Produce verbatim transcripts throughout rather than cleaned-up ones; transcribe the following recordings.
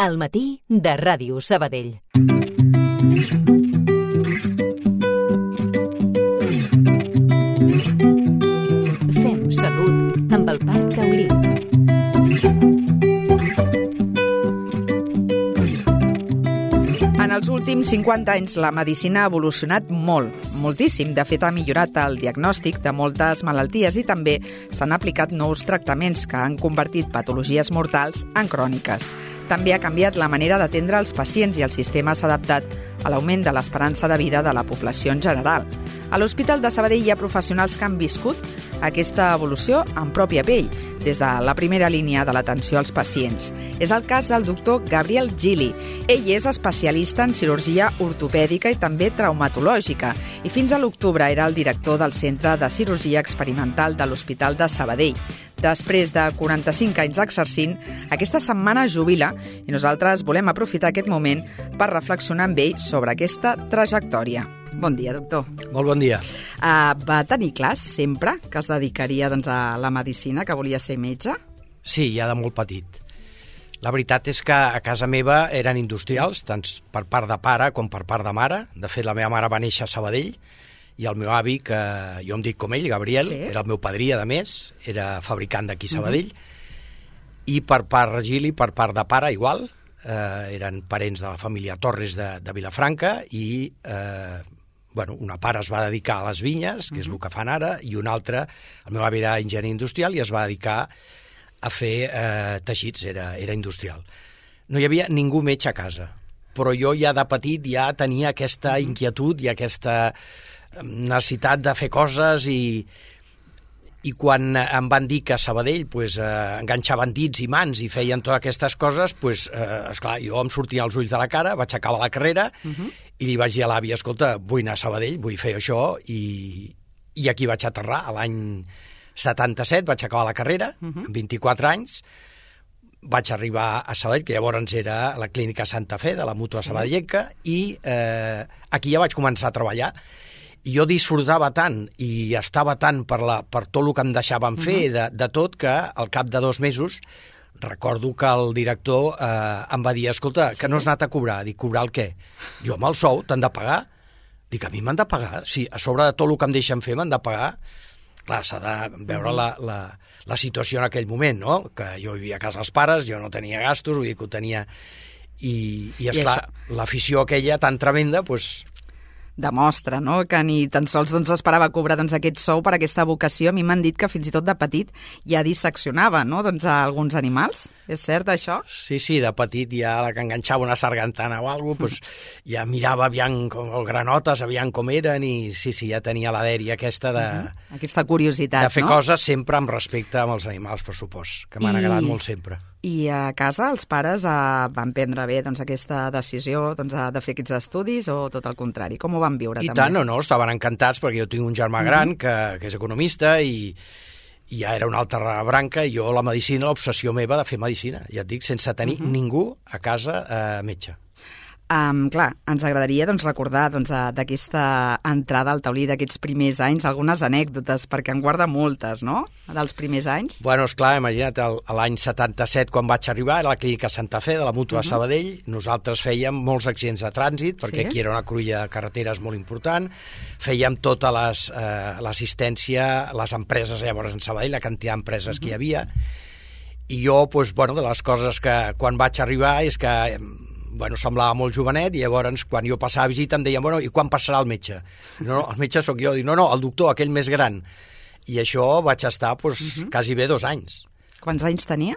Al matí de Ràdio Sabadell. Fem salut amb el Parc Taulí. En els últims cinquanta anys la medicina ha evolucionat molt, moltíssim. De fet, ha millorat el diagnòstic de moltes malalties i també s'han aplicat nous tractaments que han convertit patologies mortals en cròniques. També ha canviat la manera d'atendre els pacients i el sistema s'ha adaptat a l'augment de l'esperança de vida de la població en general. A l'Hospital de Sabadell hi ha professionals que han viscut aquesta evolució en pròpia pell, des de la primera línia de l'atenció als pacients. És el cas del doctor Gabriel Gili. Ell és especialista en cirurgia ortopèdica i també traumatològica i fins a l'octubre era el director del Centre de Cirurgia Experimental de l'Hospital de Sabadell. Després de quaranta-cinc anys exercint, aquesta setmana jubila i nosaltres volem aprofitar aquest moment per reflexionar amb ell sobre aquesta trajectòria. Bon dia, doctor. Molt bon dia. Uh, va tenir clar sempre que es dedicaria doncs, a la medicina, que volia ser metge? Sí, ja de molt petit. La veritat és que a casa meva eren industrials, tant per part de pare com per part de mare. De fet, la meva mare va néixer a Sabadell i el meu avi, que jo em dic com ell, Gabriel, sí. Era el meu padrí, a més, era fabricant d'aquí a Sabadell. Uh-huh. I per part Gili, per part de pare, igual, eh, eren parents de la família Torres de, de Vilafranca i... Eh, Bueno, una part es va dedicar a les vinyes, que és el que fan ara, i una altra, el meu avi era enginyer industrial i es va dedicar a fer eh, teixits, era, era industrial. No hi havia ningú metge a casa, però jo ja de petit ja tenia aquesta inquietud i aquesta necessitat de fer coses i, i quan em van dir que a Sabadell pues, eh, enganxaven dits i mans i feien totes aquestes coses, pues, eh, esclar, jo em sortien els ulls de la cara, vaig acabar la carrera uh-huh. i li vaig dir a l'àvia, escolta, vull anar a Sabadell, vull fer això, i, i aquí vaig aterrar. A l'any setanta-set vaig acabar la carrera, uh-huh. amb vint-i-quatre anys, vaig arribar a Sabadell, que llavors era la clínica Santa Fe, de la mútua sí. sabadellenca, i eh, aquí ja vaig començar a treballar. I jo disfrutava tant i estava tant per, la, per tot el que em deixaven fer, uh-huh. de, de tot, que al cap de dos mesos recordo que el director eh, em va dir, escolta, sí. que no has anat a cobrar. Dic, cobrar el què? Jo amb el sou t'han de pagar. Dic, a mi m'han de pagar? Sí, a sobre de tot el que em deixen fer m'han de pagar. Clar, s'ha de veure la, la, la situació en aquell moment, no? Que jo vivia a casa dels pares, jo no tenia gastos, vull dir que ho tenia... I, i esclar, l'afició aquella tan tremenda, doncs... demostra, no?, que ni tan sols doncs, esperava cobrar doncs, aquest sou per aquesta vocació. A mi m'han dit que fins i tot de petit ja disseccionava, no?, doncs, a alguns animals. És cert, això? Sí, sí, de petit ja la que enganxava una sargantana o alguna cosa, pues, ja mirava aviam com, o granotes, aviam com eren, i sí, sí, ja tenia la dèria aquesta de... Uh-huh. Aquesta curiositat, de fer no? coses sempre amb respecte amb els animals, per supost, que m'han I... agradat molt sempre. I a casa els pares eh, van prendre bé doncs, aquesta decisió doncs, de fer aquests estudis o tot el contrari? Com ho van viure? I també? tant, no, no, estaven encantats perquè jo tinc un germà mm-hmm. gran que, que és economista i, i ja era una altra branca i jo la medicina, l'obsessió meva de fer medicina, ja et dic, sense tenir mm-hmm. ningú a casa eh, metge. Um, clar, ens agradaria doncs, recordar doncs, d'aquesta entrada al taulí d'aquests primers anys, algunes anècdotes, perquè en guarda moltes, no?, dels primers anys. Bueno, esclar, imagina't, el, l'any setanta-set, quan vaig arribar, a la clínica Santa Fe, de la mútua uh-huh. Sabadell, nosaltres fèiem molts accidents de trànsit, perquè sí? aquí era una cruïlla de carreteres molt important, fèiem tota les, eh, l'assistència, les empreses llavors en Sabadell, la quantitat d'empreses uh-huh. que hi havia, i jo, doncs, bueno, de les coses que quan vaig arribar és que... bueno, semblava molt jovenet i llavors quan jo passava a visita em deien, bueno, i quan passarà el metge? No, no, el metge sóc jo. Dic, no, no, el doctor, aquell més gran. I això vaig estar, doncs, uh-huh. quasi bé dos anys. Quants anys tenia?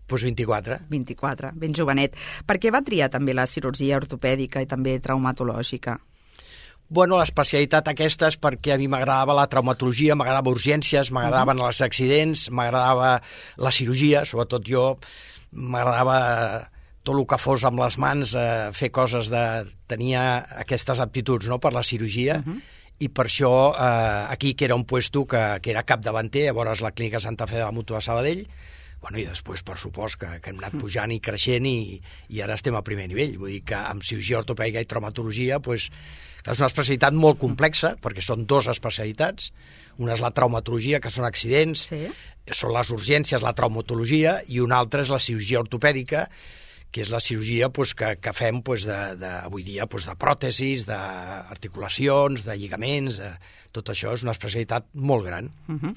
Doncs vint-i-quatre. vint-i-quatre, ben jovenet. Per què va triar també la cirurgia ortopèdica i també traumatològica? Bueno, l'especialitat aquesta és perquè a mi m'agradava la traumatologia, m'agradava urgències, m'agradaven uh-huh. els accidents, m'agradava la cirurgia, sobretot jo m'agradava... tot el que fos amb les mans, eh, fer coses de... tenia aquestes aptituds, no?, per la cirurgia, uh-huh. i per això eh, aquí, que era un puesto que, que era capdavanter, llavors la clínica Santa Fe de la mútua Sabadell, bueno, i després, per supost, que, que hem anat pujant i creixent i, i ara estem al primer nivell. Vull dir que amb cirurgia ortopèdica i traumatologia, pues, és una especialitat molt complexa, perquè són dues especialitats. Una és la traumatologia, que són accidents, sí. són les urgències, la traumatologia, i una altra és la cirurgia ortopèdica, que és la cirurgia pues, que, que fem pues, de, de, avui dia pues, de pròtesis, d'articulacions, de lligaments, de... tot això és una especialitat molt gran. Uh -huh.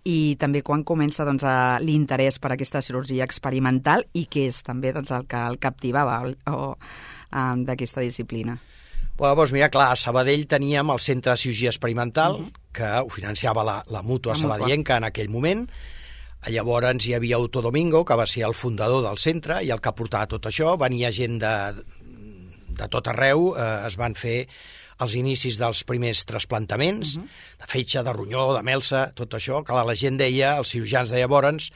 I també quan comença doncs, l'interès per aquesta cirurgia experimental i què és també doncs, el que el captivava o, o, um, d'aquesta disciplina? Bueno, doncs mira, clar, a Sabadell teníem el Centre de Cirurgia Experimental, uh -huh. que ho financiava la, la mútua sabadellenca en aquell moment. Llavors hi havia Otto Domingo, que va ser el fundador del centre i el que portava tot això. Venia gent de, de tot arreu, eh, es van fer els inicis dels primers trasplantaments, uh -huh. de fetge, de ronyó, de melsa, tot això, que la gent deia, els cirurgians de llavors,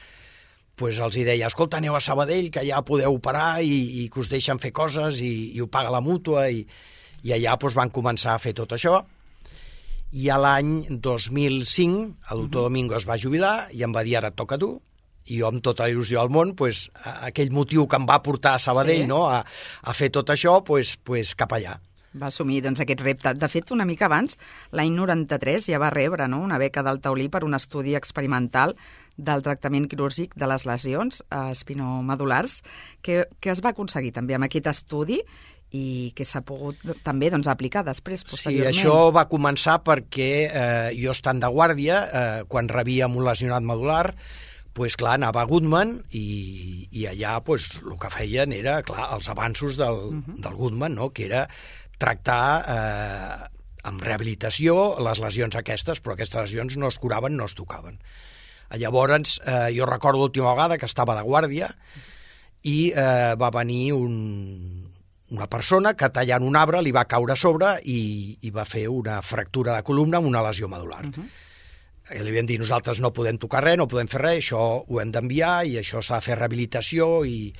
pues els hi deia, escolta, aneu a Sabadell, que ja podeu operar i, i que us deixen fer coses i, i ho paga la mútua, i, i allà pues, van començar a fer tot això. I a l'any dos mil cinc el doctor Domingo es va jubilar i em va dir, ara et toca a tu, i jo amb tota la il·lusió del món, pues, aquell motiu que em va portar a Sabadell, sí. no? a, a fer tot això, pues, pues, cap allà. Va assumir doncs, aquest repte. De fet, una mica abans, l'any noranta-tres, ja va rebre no? una beca del Taulí per un estudi experimental del tractament quirúrgic de les lesions espinomadulars, que, que es va aconseguir també amb aquest estudi i que s'ha pogut també doncs, aplicar després, posteriorment. Sí, això va començar perquè eh, jo estant de guàrdia, eh, quan rebíem un lesionat medular, pues, clar, anava a Goodman i, i allà pues, el que feien era clar, els avanços del, uh-huh. del Goodman, no? Que era tractar eh, amb rehabilitació les lesions aquestes, però aquestes lesions no es curaven, no es tocaven. Llavors, eh, jo recordo l'última vegada que estava de guàrdia i eh, va venir un, una persona que tallant un arbre li va caure a sobre i, i va fer una fractura de columna amb una lesió medular. Uh-huh. I li vam dir, nosaltres no podem tocar res, no podem fer res, això ho hem d'enviar i això s'ha de fer rehabilitació i...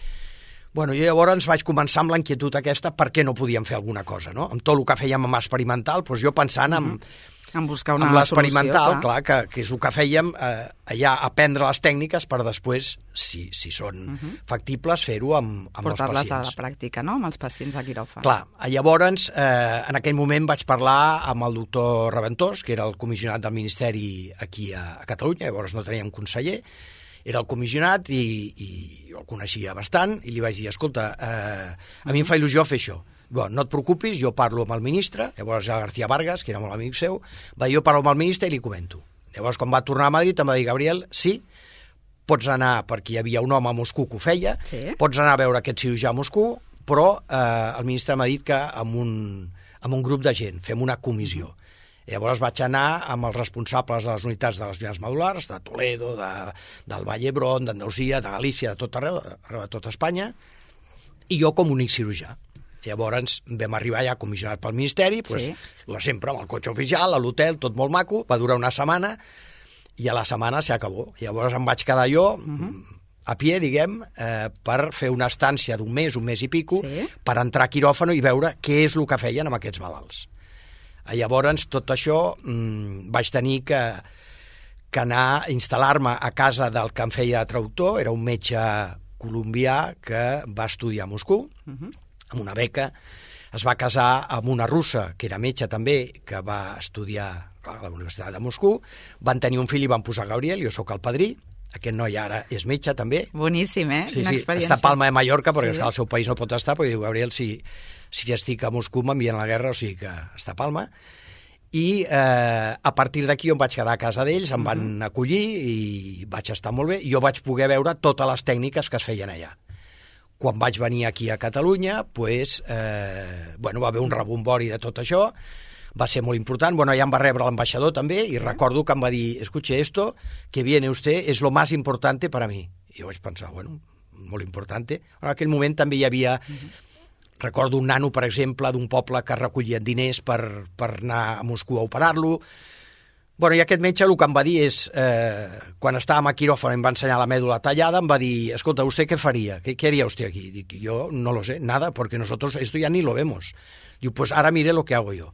Bueno, jo llavors vaig començar amb la inquietud aquesta per què no podíem fer alguna cosa, no? Amb tot el que fèiem amb experimental, doncs jo pensant en, mm-hmm. en buscar una amb l'experimental, solució, clar, clar que, que és el que fèiem eh, allà, aprendre les tècniques per després, si, si són mm-hmm. factibles, fer-ho amb, amb els pacients. Portar-les a la pràctica, no?, amb els pacients a quiròfan. Clar, llavors, eh, en aquell moment vaig parlar amb el doctor Reventós, que era el comissionat del Ministeri aquí a, a Catalunya, llavors no teníem conseller, era el comissionat i, i jo el coneixia bastant i li vaig dir, escolta, eh, a mi em fa il·lusió fer això. Bueno, no et preocupis, jo parlo amb el ministre, llavors el García Vargas, que era molt amic seu, va dir, jo parlo amb el ministre i li comento. Llavors, quan va tornar a Madrid, em va dir, Gabriel, sí, pots anar, perquè hi havia un home a Moscou que ho feia, sí. Pots anar a veure aquest cirurgià a Moscou, però eh, el ministre m'ha dit que amb un, amb un grup de gent fem una comissió. Llavors vaig anar amb els responsables de les unitats de les lesions medulars, de Toledo, de, del Vall d'Hebron, d'Andalusia, de Galícia, de tot arreu, arreu de tot Espanya, i jo com únic cirurgià. Llavors vam arribar ja comissionat pel Ministeri, pues, sí. sempre amb el cotxe oficial, a l'hotel, tot molt maco, va durar una setmana, i a la setmana s'acabó. Llavors em vaig quedar jo... Uh-huh. a pie, diguem, eh, per fer una estància d'un mes, un mes i pico, sí. per entrar a quiròfano i veure què és el que feien amb aquests malalts. Llavors, tot això, mmm, vaig tenir que, que anar a instal·lar-me a casa del que em feia traductor, era un metge colombià que va estudiar a Moscou, uh-huh. amb una beca, es va casar amb una russa, que era metge també, que va estudiar a la Universitat de Moscou, van tenir un fill i van posar Gabriel, jo sóc el padrí, aquest noi ara és metge també. Boníssim, eh? Sí, Quina sí, experiència. està a Palma de Mallorca, perquè sí. al seu país no pot estar, perquè diu, Gabriel, si... si estic a Moscou m'envien a la guerra, o sigui que està a Palma, i eh, a partir d'aquí em vaig quedar a casa d'ells, em van uh-huh. acollir i vaig estar molt bé, i jo vaig poder veure totes les tècniques que es feien allà. Quan vaig venir aquí a Catalunya, pues, eh, bueno, va haver un rebombori de tot això, va ser molt important, bueno, allà em va rebre l'ambaixador també, i uh-huh. recordo que em va dir, escuche, esto que viene usted es lo más importante para mí. I jo vaig pensar, bueno, molt importante. En aquell moment també hi havia... Uh-huh. Recordo un nano, per exemple, d'un poble que recollien diners per, per anar a Moscou a operar-lo. Bueno, i aquest metge el que em va dir és, eh, quan estàvem a quiròfan em va ensenyar la mèdula tallada, em va dir, escolta, ¿usted qué faría? ¿Qué, qué haría usted aquí? Dic, yo no lo sé, nada, porque nosotros esto ya ni lo vemos. Diu, pues ara mire lo que hago yo.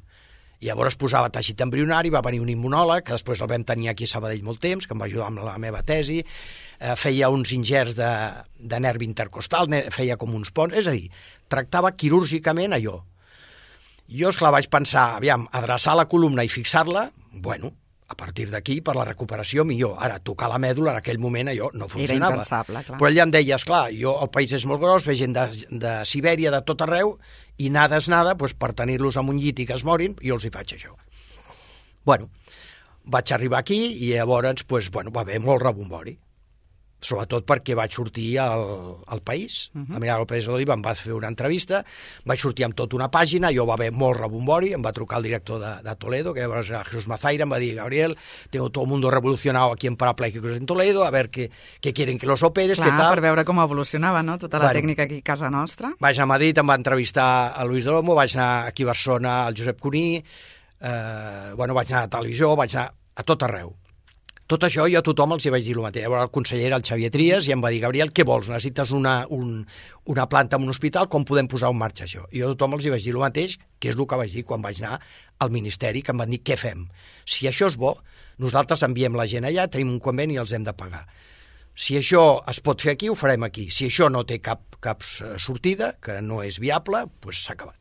I llavors posava teixit embrionari, va venir un immunòleg, que després el vam tenir aquí a Sabadell molt temps, que em va ajudar amb la meva tesi, eh, feia uns ingerts de, de nervi intercostal, feia com uns ponts, és a dir, tractava quirúrgicament allò. Jo, esclar, vaig pensar, aviam, adreçar la columna i fixar-la, bueno, A partir d'aquí, per la recuperació, millor. Ara, tocar la mèdula, en aquell moment, allò no funcionava. Era impensable, clar. Però ella em deia, esclar, jo, el país és molt gros, ve gent de, de Sibèria, de tot arreu, i nada és nada, doncs, per tenir-los en un llit i que es morin, jo els hi faig això. Bueno, vaig arribar aquí i llavors doncs, bueno, va haver molt rebombori. Sobretot perquè vaig sortir al, al País, uh -huh. a mirar el País de l'Oliva, em va fer una entrevista, vaig sortir amb tota una pàgina, jo va haver molt rebombori, em va trucar el director de, de Toledo, que llavors era Jesús Mazaira, em va dir, Gabriel, tengo todo el mundo revolucionado aquí en parapléjicos en Toledo, a ver qué, qué quieren que los operes, Clar, què tal. Per veure com evolucionava, no?, tota la bueno, tècnica aquí a casa nostra. Vaig anar a Madrid, em va entrevistar a Luis de Lomo, vaig anar aquí a Barcelona al Josep Cuní, eh, bueno, vaig anar a televisió, vaig anar a tot arreu. Tot això jo a tothom els hi vaig dir el mateix. Llavors el conseller era el Xavier Trias i em va dir, Gabriel, què vols? Necessites una, un, una planta en un hospital? Com podem posar en marxa això? I jo a tothom els hi vaig dir el mateix, que és el que vaig dir quan vaig anar al Ministeri, que em van dir, què fem? Si això és bo, nosaltres enviem la gent allà, tenim un conveni i els hem de pagar. Si això es pot fer aquí, ho farem aquí. Si això no té cap, cap sortida, que no és viable, doncs s'ha acabat.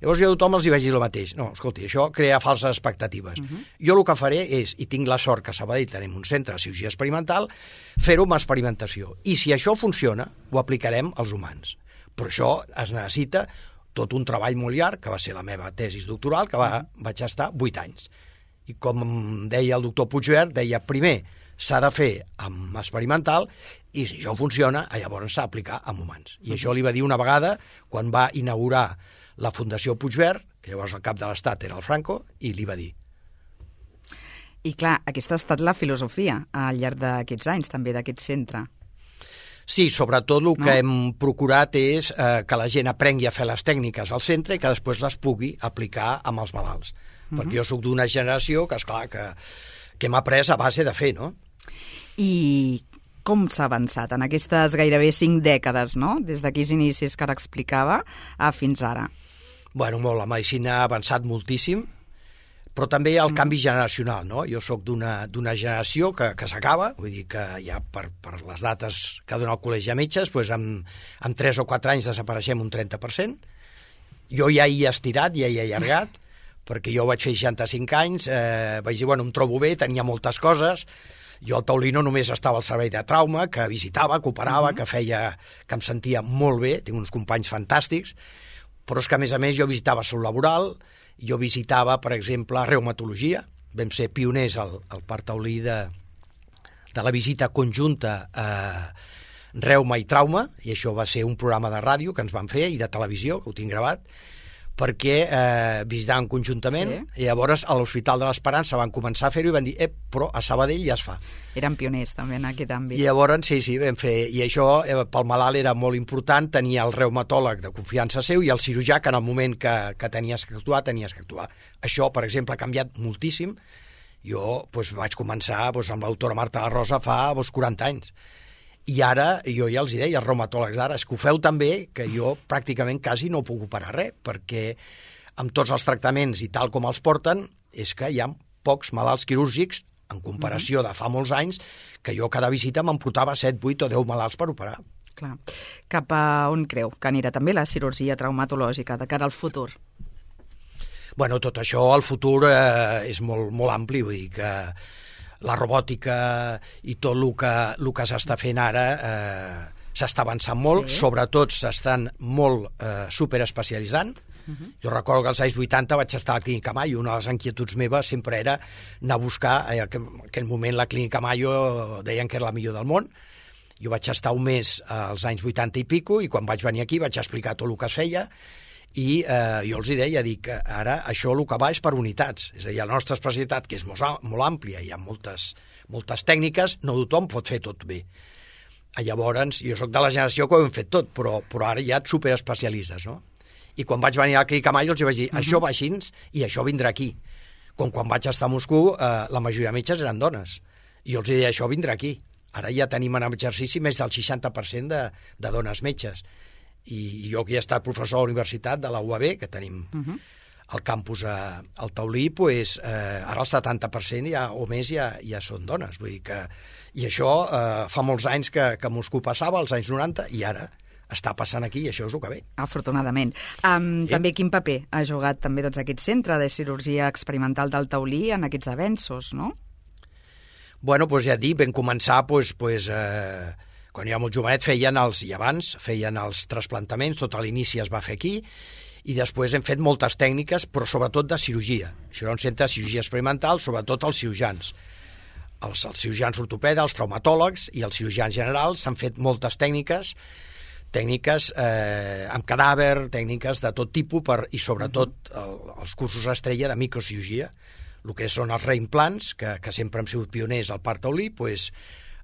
Llavors jo a tothom els hi vaig dir el mateix. No, escolti, això crea falses expectatives. Uh -huh. Jo el que faré és, i tinc la sort que a Sabadell tenim un centre de cirurgia experimental, fer-ho amb experimentació. I si això funciona, ho aplicarem als humans. Però això es necessita tot un treball molt llarg, que va ser la meva tesis doctoral, que va, vaig estar vuit anys. I com deia el doctor Puigvert, deia, primer s'ha de fer amb experimental i si això funciona, llavors s'ha d'aplicar amb humans. I uh -huh. això li va dir una vegada quan va inaugurar la Fundació Puigvert, que llavors el cap de l'Estat era el Franco, i li va dir. I clar, aquesta ha estat la filosofia al llarg d'aquests anys, també, d'aquest centre. Sí, sobretot el que no? hem procurat és eh, que la gent aprengui a fer les tècniques al centre i que després les pugui aplicar amb els malalts. Uh -huh. Perquè jo sóc d'una generació que, esclar, que, que hem après a base de fer, no? I com s'ha avançat en aquestes gairebé cinc dècades, no?, des d'aquells inicis que ara explicava a fins ara? Bueno, molt, la medicina ha avançat moltíssim, però també el mm. canvi generacional, no? Jo sóc d'una d'una generació que, que s'acaba, vull dir que ja per, per les dates que dona el Col·legi de Metges, doncs en, en tres o quatre anys desapareixem un trenta per cent. Jo ja hi he estirat, ja hi he allargat, perquè jo vaig fer seixanta-cinc anys, eh, vaig dir, bueno, em trobo bé, tenia moltes coses. Jo al Taulí no només estava al servei de trauma, que visitava, que operava, uh -huh. que feia, que em sentia molt bé, tinc uns companys fantàstics, però és que, a més a més, jo visitava salut laboral, jo visitava, per exemple, reumatologia, vam ser pioners al, al Parc Taulí de, de la visita conjunta a reuma i trauma, i això va ser un programa de ràdio que ens van fer, i de televisió, que ho tinc gravat, perquè eh, visitaven conjuntament, sí. I llavors a l'Hospital de l'Esperança van començar a fer-ho i van dir, eh, però a Sabadell ja es fa. Eren pioners també en aquest àmbit. I llavors, sí, sí, vam fer, i això eh, pel malalt era molt important, tenia el reumatòleg de confiança seu i el cirurgià que en el moment que, que tenies que actuar, tenies que actuar. Això, per exemple, ha canviat moltíssim. Jo doncs, vaig començar doncs, amb l'autora Marta La Rosa fa doncs, quaranta anys. I ara, jo ja els hi deia, els reumatòlegs d'ara, és que ho feu també, que jo pràcticament quasi no puc operar res, perquè amb tots els tractaments i tal com els porten, és que hi ha pocs malalts quirúrgics, en comparació de fa molts anys, que jo cada visita me'n portava set, vuit o deu malalts per operar. Clar. Cap a on creu que anirà també la cirurgia traumatològica de cara al futur? Bueno, tot això, el futur eh, és molt, molt ampli, vull dir que la robòtica i tot el que, el que s'està fent ara eh, s'està avançant molt, sí. Sobretot s'estan molt eh, superespecialitzant. Uh -huh. Jo recordo que als anys vuitanta vaig estar a la Clínica Mayo, una de les inquietuds meves sempre era anar a buscar, eh, en aquell moment la Clínica Mayo deien que era la millor del món. Jo vaig estar un mes als anys vuitanta i pico i quan vaig venir aquí vaig explicar tot el que es feia i eh, jo els hi deia, dic, ara això el que va és per unitats, és a dir, la nostra especialitat, que és molt, molt àmplia, hi ha moltes, moltes tècniques, no tothom pot fer tot bé. Llavors, jo sóc de la generació que ho hem fet tot, però, però ara ja et superespecialitzes, no? I quan vaig venir a la Clínica Mayo els vaig dir, uh -huh. això va així i això vindrà aquí. Com quan vaig estar a Moscou, eh, la majoria de metges eren dones. I jo els deia, això vindrà aquí. Ara ja tenim en exercici més del seixanta per cent de, de dones metges. I jo que he estat professor a la universitat de la U A B, que tenim uh -huh. al campus a, al Taulí, pues, eh, ara el setanta per cent ja, o més ja, ja són dones. Vull dir que, i això eh, fa molts anys que, que a Moscou passava, als anys noranta, i ara està passant aquí i això és el que ve. Afortunadament. Um, Sí. També quin paper ha jugat també doncs, aquest centre de cirurgia experimental del Taulí en aquests avenços, no? Bueno, doncs ja et dic, vam començar, doncs, doncs, eh, quan jo era molt jovenet feien els, i abans, feien els trasplantaments, tot a l'inici es va fer aquí, i després hem fet moltes tècniques, però sobretot de cirurgia. Això era un centre de cirurgia experimental, sobretot els cirurgians. Els, els cirurgians ortopedes, els traumatòlegs i els cirurgians generals s'han fet moltes tècniques, tècniques eh, amb cadàver, tècniques de tot tipus, per, i sobretot el, els cursos estrella de microcirurgia, el que són els reimplants, que, que sempre hem sigut pioners al Parc Taulí, doncs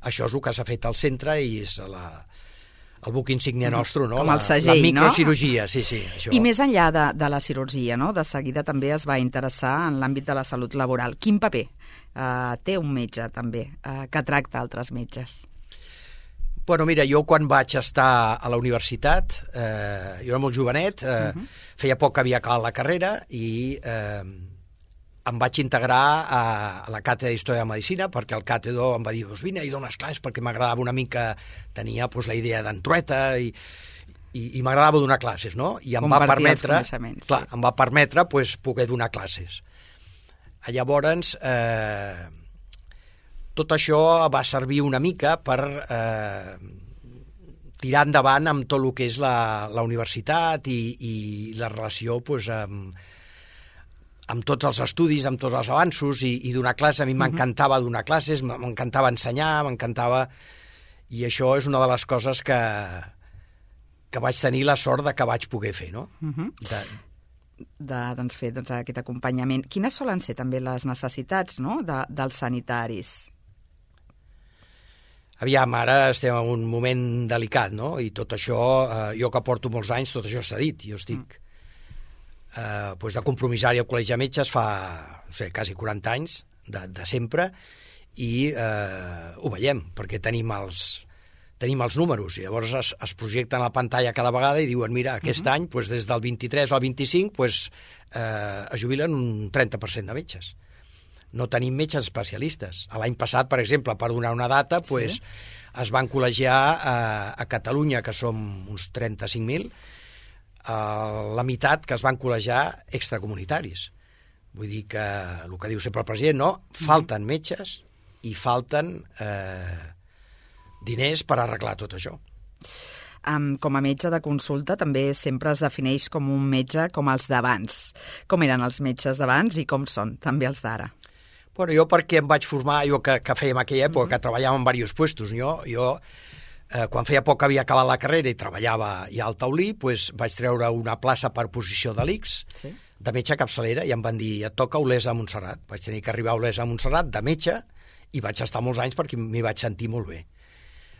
això és el que s'ha fet al centre i és la, el buc insígnia nostre, no? Com la, el segell, la no? microcirurgia, sí, sí. Això. I més enllà de, de la cirurgia, no? De seguida també es va interessar en l'àmbit de la salut laboral. Quin paper eh, té un metge, també, eh, que tracta altres metges? Bueno, mira, jo quan vaig estar a la universitat, eh, jo era molt jovenet, eh, uh -huh. feia poc que havia acabat la carrera i eh, em vaig integrar a, a la càtedra d'Història de Medicina perquè el càtedre em va dir, doncs vine i dones classes perquè m'agradava una mica, tenia doncs, la idea d'entrueta i, i, i m'agradava donar classes, no? I em va permetre, clar, sí. em va permetre doncs, poder donar classes. Llavors, eh, tot això va servir una mica per eh, tirar endavant amb tot el que és la, la universitat i, i la relació doncs, amb, amb tots els estudis, amb tots els avanços i, i donar classes. A mi m'encantava donar classes, m'encantava ensenyar, m'encantava... I això és una de les coses que, que vaig tenir la sort de que vaig poder fer, no? Uh -huh. De... de doncs, fer doncs, aquest acompanyament. Quines solen ser també les necessitats, no? de, dels sanitaris? Aviam, ara estem en un moment delicat, no? I tot això, eh, jo que porto molts anys, tot això s'ha dit. Jo estic mm. eh, doncs de compromissari al Col·legi de Metges fa, no sé, quasi quaranta anys, de, de sempre, i eh, ho veiem, perquè tenim els, tenim els números, i llavors es, es projecten a la pantalla cada vegada i diuen, mira, aquest uh -huh. any, doncs, des del vint-i-tres al vint-i-cinc, doncs, eh, es jubilen un trenta per cent de metges. No tenim metges especialistes. L'any passat, per exemple, per donar una data, pues, sí. es van col·legiar a, a Catalunya, que som uns trenta-cinc mil, eh, la meitat que es van col·legiar extracomunitaris. Vull dir que, el que diu sempre el president, no, falten metges i falten eh, diners per arreglar tot això. Um, com a metge de consulta també sempre es defineix com un metge com els d'abans. Com eren els metges d'abans i com són també els d'ara? Bueno, jo perquè em vaig formar, jo que, que fèiem aquella època, uh-huh. que treballava en diversos puestos, jo, jo eh, quan feia poc que havia acabat la carrera i treballava ja al Taulí, pues, vaig treure una plaça per posició de l'I C S, sí. de metge capçalera, i em van dir, et toca Olesa a Montserrat. Vaig tenir que arribar a Olesa a Montserrat de metge i vaig estar molts anys perquè m'hi vaig sentir molt bé.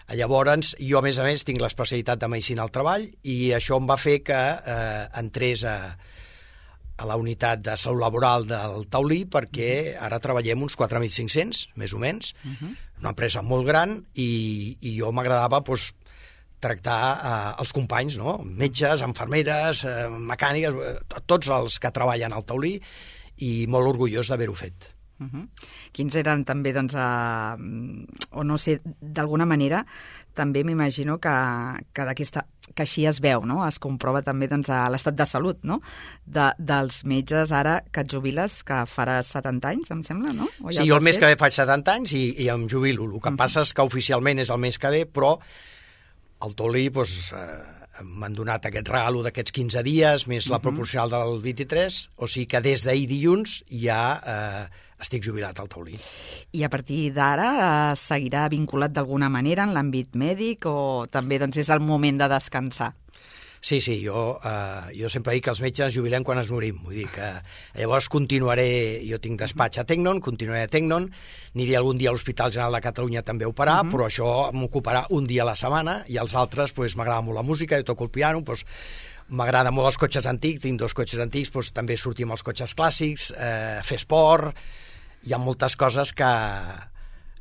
Llavors, jo a més a més tinc l'especialitat de Medicina al Treball i això em va fer que eh, entrés a, a la unitat de salut laboral del Taulí perquè ara treballem uns quatre mil cinc-cents, més o menys, uh-huh. una empresa molt gran i, i jo m'agradava doncs, tractar eh, els companys, no? Metges, infermeres, eh, mecàniques, eh, tots els que treballen al Taulí i molt orgullós d'haver-ho fet. Uh-huh. Quins eren també, doncs, a, o no sé, d'alguna manera, també m'imagino que, que, d'aquesta, que així es veu, no? Es comprova també doncs, a l'estat de salut, no? De, dels metges ara que et jubiles, que faràs setanta anys, em sembla, no? O ja sí, jo el mes que ve faig setanta anys i, i em jubilo. El que uh-huh. passa és que oficialment és el mes que ve, però al Taulí doncs, eh, m'han donat aquest regalo d'aquests quinze dies, més la proporcional del vint-i-tres, o sigui que des d'ahir dilluns ja eh, estic jubilat al Taulí. I a partir d'ara eh, seguirà vinculat d'alguna manera en l'àmbit mèdic o també doncs, és el moment de descansar? Sí, sí, jo, eh, jo sempre dic que els metges jubilem quan es morim. Vull dir que llavors continuaré, jo tinc despatx a Tecnon, continuaré a Tecnon, aniré algun dia a l'Hospital General de Catalunya també a operar, uh-huh. però això m'ocuparà un dia a la setmana i els altres, doncs, m'agrada molt la música, jo toco el piano, doncs, m'agrada molt els cotxes antics, tinc dos cotxes antics, doncs, també sortir amb els cotxes clàssics, eh, fer esport, hi ha moltes coses que...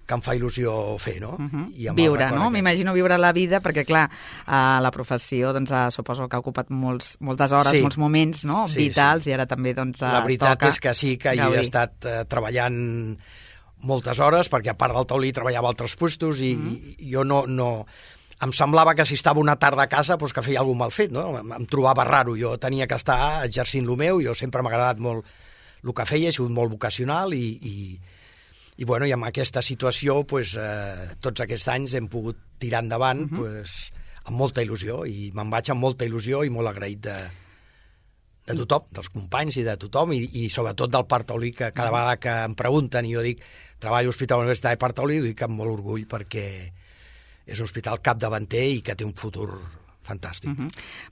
que em fa il·lusió fer, no? Uh-huh. I viure, no? Que... M'imagino viure la vida, perquè, clar, uh, la professió, doncs, uh, suposo que ha ocupat molts, moltes hores, sí. molts moments, no?, sí, vitals, sí. I ara també, doncs, uh, la veritat toca és que sí, que jo he estat uh, treballant moltes hores, perquè a part del Taulí treballava a altres puestos, i, uh-huh. i jo no, no... em semblava que si estava una tarda a casa doncs que feia alguna mal fet, no? Em, em trobava raro, jo tenia que estar exercint el meu, jo sempre m'ha agradat molt el que feia, he sigut molt vocacional i, i, i, bueno, i amb aquesta situació doncs, eh, tots aquests anys hem pogut tirar endavant uh-huh. doncs, amb molta il·lusió i me'n vaig amb molta il·lusió i molt agraït de, de tothom, dels companys i de tothom i, i sobretot del Parc Taulí, que cada vegada que em pregunten i jo dic treballo a l'Hospital Universitari Parc Taulí, ho dic amb molt orgull perquè és un hospital capdavanter i que té un futur fantàstic. Uh-huh.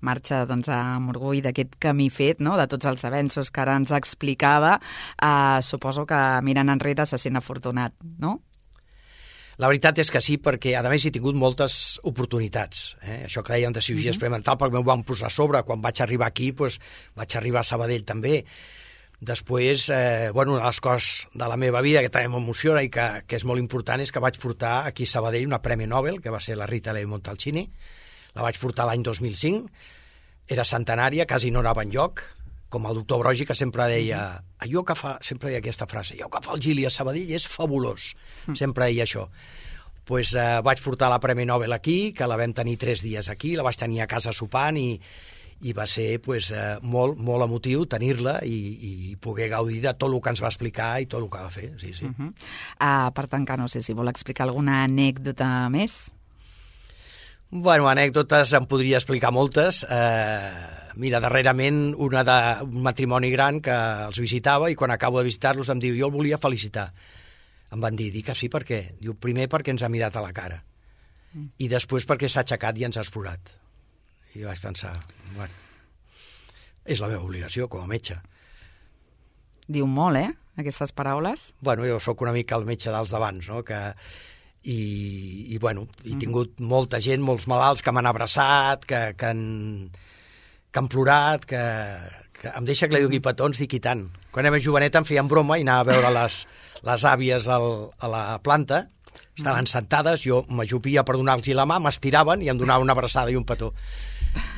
Marxa doncs, amb orgull d'aquest camí fet, no? De tots els avenços que ara ens explicava. Uh, suposo que mirant enrere se sent afortunat, no? La veritat és que sí, perquè a més he tingut moltes oportunitats. Eh? Això que dèiem de cirurgia uh-huh. experimental, perquè m'ho van posar a sobre. Quan vaig arribar aquí, doncs, vaig arribar a Sabadell també. Després, eh, bueno, una de les coses de la meva vida que també m'emociona i que, que és molt important és que vaig portar aquí a Sabadell una Premi Nobel, que va ser la Rita Levi Montalcini. La vaig portar l'any dos mil cinc. Era centenària, quasi no anava enlloc, com el doctor Brogi, que sempre deia, allò que fa, sempre deia aquesta frase, allò que fa el Gili a Sabadell és fabulós. Mm. Sempre deia això. Pues, eh, vaig portar la Premi Nobel aquí, que la vam tenir tres dies aquí, la vaig tenir a casa sopant i, i va ser pues, eh, molt, molt emotiu tenir-la i, i poder gaudir de tot el que ens va explicar i tot el que va fer. Sí, sí. Uh-huh. uh, per tancar, no sé si vol explicar alguna anècdota més? Bueno, anècdotes em podria explicar moltes. Eh, mira, darrerament una de, un matrimoni gran que els visitava i quan acabo de visitar-los em diu jo el volia felicitar. Em van dir, dic que sí, per què? Diu, primer perquè ens ha mirat a la cara mm. i després perquè s'ha aixecat i ens ha explorat. I vaig pensar, bueno, és la meva obligació com a metge. Diu molt, eh, aquestes paraules? Bueno, jo sóc una mica el metge dels d'abans, no?, que... I, i bueno, he tingut mm. molta gent, molts malalts que m'han abraçat, que, que, han, que han plorat, que, que em deixa que li doni petons, dic i tant. Quan era més joveneta em feien broma i anava a veure les, les àvies al, a la planta, estaven sentades, jo m'ajupia per donar-los la mà, m'estiraven i em donaven una abraçada i un petó.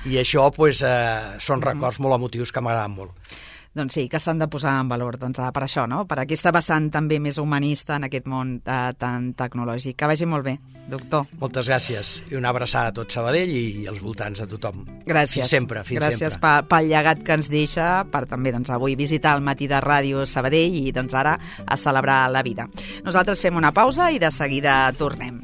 I això pues, eh, són records molt emotius que m'agraden molt. Doncs sí, que s'han de posar en valor doncs, per això, no? Per aquesta vessant també més humanista en aquest món eh, tan tecnològic. Que vagi molt bé, doctor. Moltes gràcies i una abraçada a tot Sabadell i als voltants a tothom. Gràcies. Fins sempre, fins gràcies sempre. Gràcies pel llegat que ens deixa, per també doncs, avui visitar el Matí de Ràdio Sabadell i doncs, ara a celebrar la vida. Nosaltres fem una pausa i de seguida tornem.